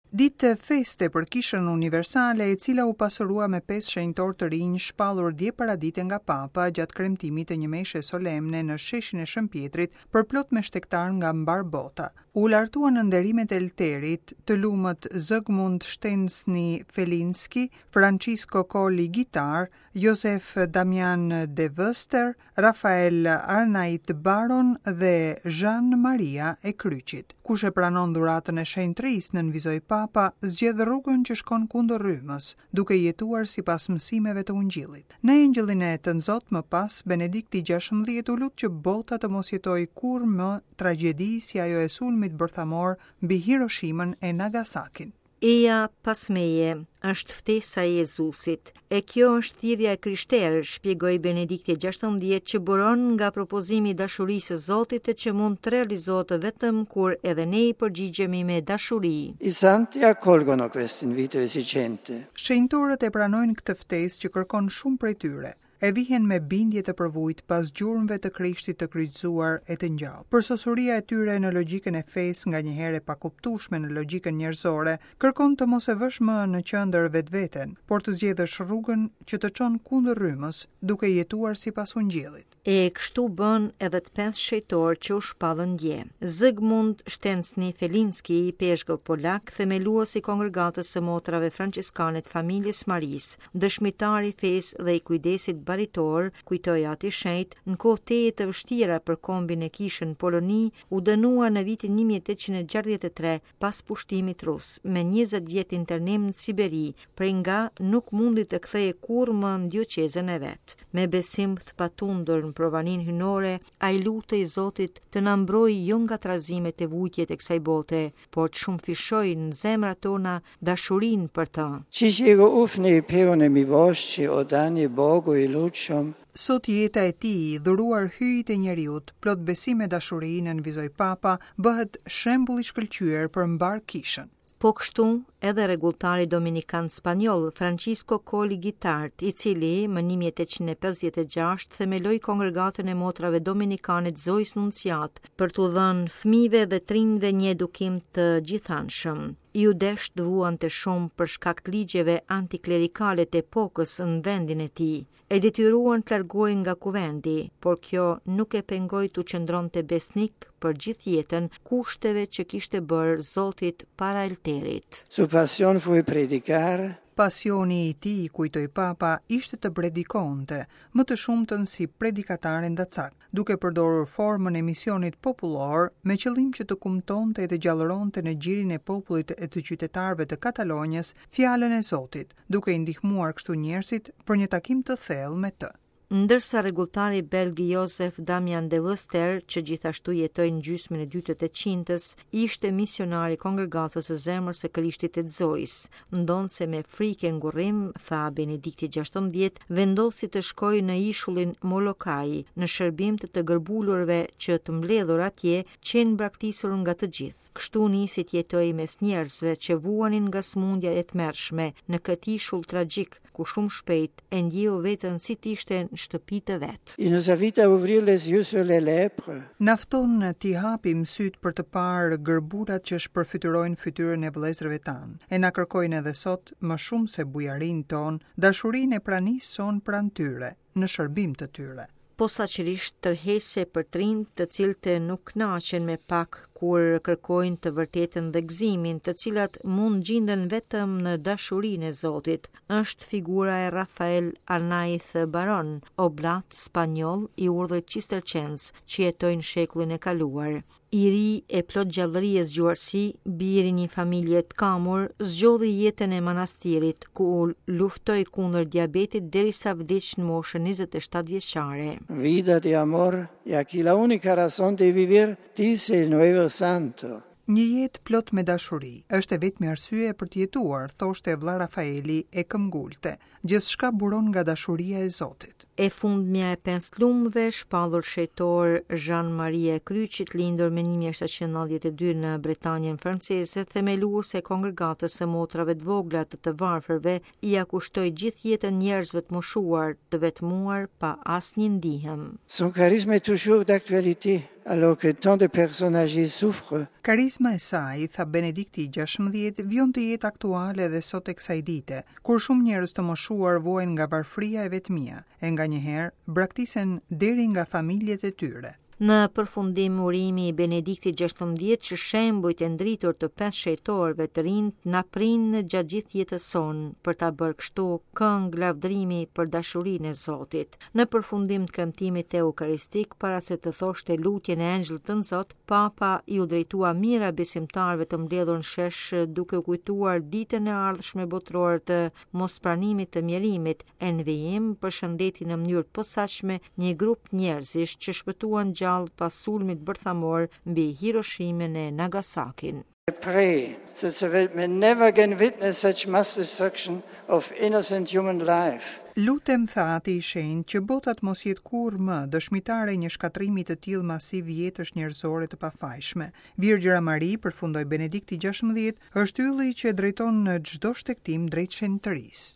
Ditë feste për Kishën Universale, e cila u pasurua me pesë shenjtorë të rinj shpallur dje paradite nga Papa gjatë kremtimit të një meshe solemne në sheshin e Shën Pjetrit përplot me shtegtarë nga mbarë bota. U lartuan në nderimet e Elterit të lumët Zygmunt Szczęsny Felinski, Francisco Coll i Guitart, Josef Damian de Veuster, Rafael Arnaiz Baron dhe Zhan Maria e Kryqit. Kush e pranon dhuratën e shenjtërisë, nënvizoi Papa, zgjedh rrugën që shkon kundër rrymës, duke jetuar sipas mësimeve të Ungjillit. Në Engjëllin e Tënzot më pas, Benedikti 16 u lut që bota të mos jetojë kurrë më tragjedi si ajo e sulmit bërthamor mbi Hiroshimën e Nagasakin. Eja pas meje, është ftesa e Jezusit. E kjo është thirrja e krishterë, shpjegoi Benedikti 16 që buron nga propozimi i dashurisë së Zotit e që mund të realizohet vetëm kur edhe ne i përgjigjemi me dashuri. I santi accolgono questo invito esigente. Shenjtorët e pranojnë këtë ftesë që kërkon shumë prej tyre. e vihen me bindje të përvujtë pas gjurmëve të Krishtit të kryqëzuar e të ngjallë. Përsosuria e tyre në logjikën e fesë, nganjëherë e pakuptueshme në logjikën njerëzore, kërkon të mos e vësh më në qendër vetveten, por të zgjedhësh rrugën që të çon kundër rrymës, duke jetuar sipas Ungjillit. E kështu bënë edhe të pesë shenjtorë që u shpallën dje. Zygmunt Szczęsny Felinski, ipeshkëv polak, themelues i Kongregatës së Motrave Françeskane të Familjes së Marisë, dëshmitar i fesë dhe i kujdesit baritor, kujtoi Ati i Shenjtë, në kohë tejet të vështira për kombin e kishën në Poloni, u dënua në vitin 1863 pas pushtimit rus, me 20 vjet internim në Siberi, prej nga nuk mundi të kthehej kurrë më në dioqezën e vet. Me besim të patundur në provaninë hyjnore, ai lutej Zotit të na mbrojë jo nga trazimet e vujtjet e kësaj bote, por të shumëfishojë në zemrat tona dashurinë për të. Ci ufni peune mivošći odani Bogu i lutshëm. Sot jeta e tij, dhuruar Hyjit e njeriut, plot besim e dashuri, nënvizoi Papa, bëhet shembull i shkëlqyer për mbarë Kishën. Po kështu, edhe rregulltari dominikan spanjoll Francisco Coll i Guitart, i cili më 1856 themeloi Kongregatën e Motrave Dominikane të Zojës Nunciatë për t'u dhënë fëmijëve dhe të rinjve një edukim të gjithanshëm. Iu desh të vuante shumë për shkak të ligjeve antiklerikale të epokës në vendin e tij. E detyruan të largohej nga kuvendi, por kjo nuk e pengoi t'u qëndronte besnik për gjithë jetën kushteve që kishte bërë Zotit para Elterit. Su passion fui predicare. Pasioni i tij, kujtoi Papa, ishte të predikonte, më të shumtën si predikatar endacak, duke përdorur formën e misionit popullor me qëllim që të kumtonte e të gjallëronte në gjirin e popullit e të qytetarëve të Katalonjës fjalën e Zotit, duke i ndihmuar kështu njerëzit për një takim të thellë me të. Ndërsa rregulltari belg Josef Damian de Veuster, që gjithashtu jetoi në gjysmën e dytë të tetëqindës, ishte misionar i Kongregatës së Zemrës së Krishtit e të Zojës, ndonëse me frikë e ngurrim, tha Benedikti 16, vendosi të shkojë në ishullin Molokai, në shërbim të të gërbulurve që të mbledhur atje qenë braktisur nga të gjithë. Kështu nisi të jetojë mes njerëzve që vuanin nga sëmundja e tmerrshme në këtë ishull tragjik, ku shumë shpejt e ndjeu veten si të ishte në shtëpi të vet. Il nous invite à ouvrir les yeux sur les lèpres. Na fton t'i hapim sytë për të parë gërbulat që shpërfytyrojnë fytyrën e vëllezërve tanë, e na kërkojnë edhe sot, më shumë se bujarinë tonë, dashurinë e pranisë sonë pranë tyre, në shërbim të tyre. Posaçërisht tërheqëse për të rinjtë, të cilët nuk kënaqen me pak kur kërkojnë të vërtetën dhe gëzimin, të cilat mund gjinden vetëm në dashurinë e Zotit, është figura e Rafael Arnaiz Baron, oblat spanjoll i urdhrit Cistercens, që jetoi në shekullin e kaluar. I ri e plot gjallëri e zgjuarsi, bir i një familje të kamur, zgjodhi jetën e manastirit, ku luftoi kundër diabetit derisa vdiq në moshën 27 vjeçare. Vida de amor, e aquí la única razón de vivir, dice el nuevo santo. Një jetë plot me dashuri, është e vetmja arsye për të jetuar, thoshte vëlla Rafaeli e këmbëngulte. Gjithçka buron nga dashuria e Zotit. E fundmja e pesë lumëve, shpallur shenjtor Zhan Maria e Kryqit, lindur më 1792 në Bretanjën franceze, themeluese e kongregatës së motrave të vogla të të varfërve, ia kushtoi gjithë jetën njerëzve të moshuar, të vetmuar pa asnjë ndihmë. Son charisme est toujours d'actualité, alors que tant de personnes âgées souffrent. Karizma e saj, tha Benedikti i XVI, vijon të jetë aktuale edhe sot e kësaj dite, kur shumë njerëz të moshuar vuajnë nga varfëria e vetmia, e nganjëherë braktisen deri nga familjet e tyre. Në përfundim urimi i Benediktit XVI që shembujt e ndritur të pesë shenjtorëve të rinj na prijnë gjatë gjithë jetës sonë për ta bërë kështu këngë lavdërimi për dashurinë e Zotit. Në përfundim të kremtimit eukaristik, para se të thoshte lutjen e Engjëllit Tënzot, Papa iu drejtua mijëra besimtarëve të mbledhur në shesh duke u kujtuar ditën e ardhshme botërore të mospranimit të mjerimit, e në vijim përshëndeti në mënyrë të posaçme një grup njerëzish që shpëtuan gjallë pas sulmit bërthamor mbi Hiroshimën e Nagasakin. I pray that the world may never again witness such mass destruction of innocent human life. Lutem, tha Ati i Shenjtë, që bota të mos jetë kurrë më dëshmitare e një shkatërrimi të tillë masiv jetësh njerëzore të pafajshme. Virgjëra Mari, përfundoi Benedikti XVI, është ylli që e drejton në çdo shtegtim drejt shenjtërisë.